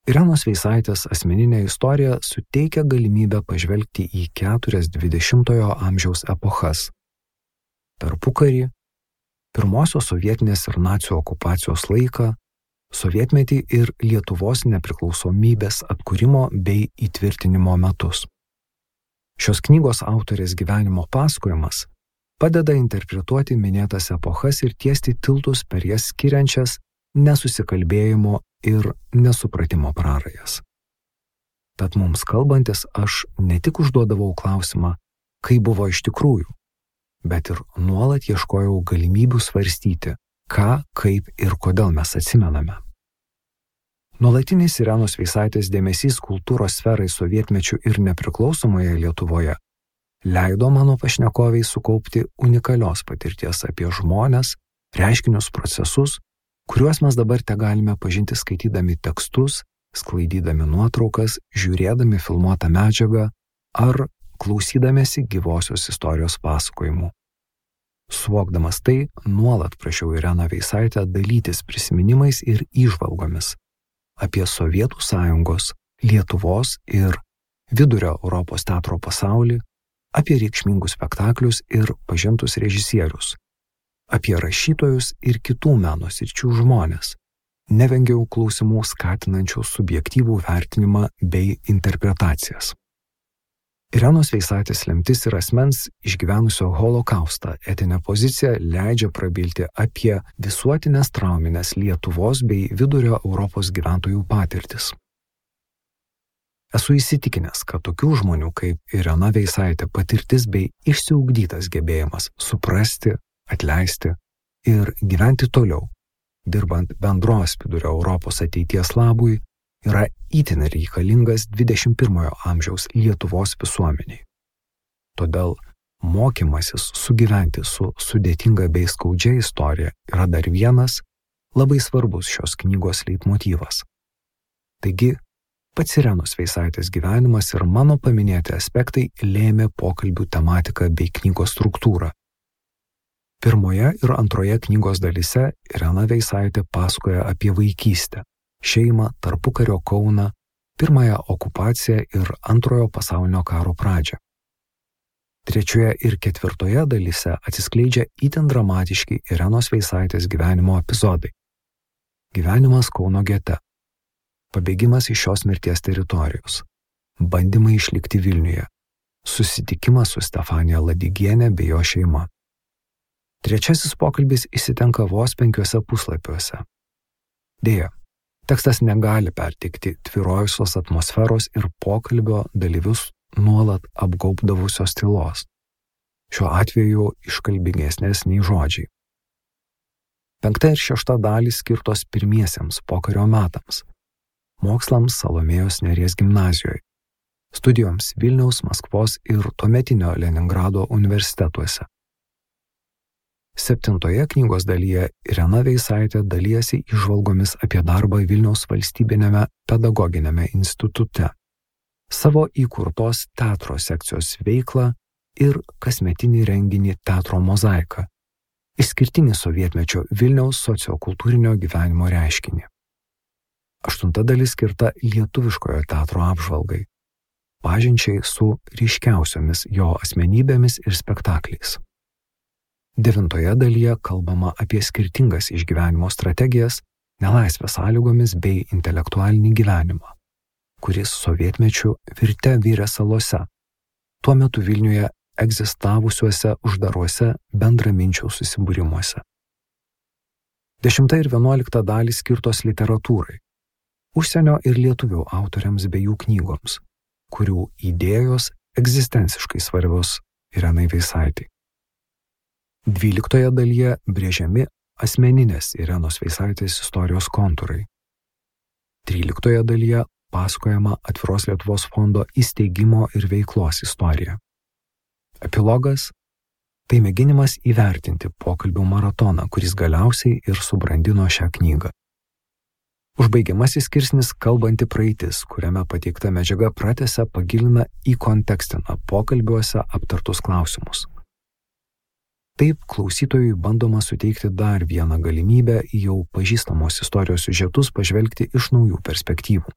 Irenos Veisaitės asmeninė istorija suteikia galimybę pažvelgti į 4 20-ojo amžiaus epochas. Tarpukarį, pirmosios sovietinės ir nacių okupacijos laiką, sovietmetį ir Lietuvos nepriklausomybės atkūrimo bei įtvirtinimo metus. Šios knygos autorės gyvenimo pasakojimas padeda interpretuoti minėtas epochas ir tiesti tiltus per jas skiriančias nesusikalbėjimo ir nesupratimo prarajas. Tad mums kalbantis aš ne tik užduodavau klausimą, kaip buvo iš tikrųjų, bet ir nuolat ieškojau galimybių svarstyti, ką, kaip ir kodėl mes atsimename. Nuolatinis Irenos Veisaitės dėmesys kultūros sferai sovietmečių ir nepriklausomoje Lietuvoje leido mano pašnekoviai sukaupti unikalios patirties apie žmones, reiškinius, procesus, kuriuos mes dabar tegalime pažinti skaitydami tekstus, sklaidydami nuotraukas, žiūrėdami filmuotą medžiagą ar klausydamėsi gyvosios istorijos pasakojimų. Suvokdamas tai, nuolat prašiau Ireną Veisaitę dalytis prisiminimais ir įžvalgomis apie Sovietų Sąjungos, Lietuvos ir Vidurio Europos teatro pasaulį, apie reikšmingus spektaklius ir pažintus režisierius, apie rašytojus ir kitų meno sričių žmones. Nevengiau klausimų skatinančių subjektyvų vertinimą bei interpretacijas. Irenos Veisaitės lemtis ir asmens išgyvenusio holokaustą etinė pozicija leidžia prabilti apie visuotinės trauminės Lietuvos bei Vidurio Europos gyventojų patirtis. Esu įsitikinęs, kad tokių žmonių kaip Irena Veisaitė patirtis bei išsiugdytas gebėjimas suprasti, atleisti ir gyventi toliau, dirbant bendros Vidurio Europos ateities labui, yra itin reikalingas 21 amžiaus Lietuvos visuomeniai. Todėl mokymasis sugyventi su sudėtinga bei skaudžia istorija yra dar vienas labai svarbus šios knygos leitmotyvas. Taigi, pats Irenos Veisaitės gyvenimas ir mano paminėti aspektai lėmė pokalbių tematiką bei knygos struktūrą. Pirmoje ir antroje knygos dalyse Irena Veisaitė pasakoja apie vaikystę, šeimą, tarpukario Kauną, pirmąją okupaciją ir antrojo pasaulinio karo pradžią. Trečioje ir ketvirtoje dalyse atsiskleidžia itin dramatiški Irenos Veisaitės gyvenimo epizodai. Gyvenimas Kauno gete, pabėgimas iš šios mirties teritorijos, bandymai išlikti Vilniuje, susitikimas su Stefanija Ladigienė bei jo šeima. Trečiasis pokalbis įsitenka vos 5 puslapiuose. Deja, tekstas negali perteikti tvyrojusios atmosferos ir pokalbio dalyvius nuolat apgaubdavusios tylos. Šiuo atveju iškalbingesnės nei žodžiai. 5 ir 6 dalys skirtos pirmiesiems pokario metams, mokslams Salomėjos Nėries gimnazijoje, studijoms Vilniaus, Maskvos ir tuometinio Leningrado universitetuose. 7 knygos dalyje Irena Veisaitė dalijasi įžvalgomis apie darbą Vilniaus valstybinėme pedagoginėme institute, savo įkurtos teatro sekcijos veiklą ir kasmetinį renginį Teatro mozaika, išskirtinį sovietmečio Vilniaus sociokultūrinio gyvenimo reiškinį. 8 dalis skirta lietuviškojo teatro apžvalgai, pažinčiai su ryškiausiomis jo asmenybėmis ir spektakliais. 9 dalyje kalbama apie skirtingas išgyvenimo strategijas, nelaisvės sąlygomis bei intelektualinį gyvenimą, kuris sovietmečiu virė salose, tuo metu Vilniuje egzistavusiuose uždaruose bendraminčių susibūrimuose. 10 ir 11 dalys skirtos literatūrai, užsienio ir lietuvių autoriams bei jų knygoms, kurių idėjos egzistenciškai svarbios Irenai Veisaitei. 12 dalyje brėžiami asmeninės Irenos Veisaitės istorijos kontūrai. 13 dalyje pasakojama Atviros Lietuvos fondo įsteigimo ir veiklos istorija. Epilogas – tai mėginimas įvertinti pokalbių maratoną, kuris galiausiai ir subrandino šią knygą. Užbaigiamasis skirsnis kalbanti praeitis, kuriame pateikta medžiaga pratęsia, pagilina, įkontekstina pokalbiuose aptartus klausimus. Taip klausytojui bandoma suteikti dar vieną galimybę į jau pažįstamos istorijos siužetus pažvelgti iš naujų perspektyvų.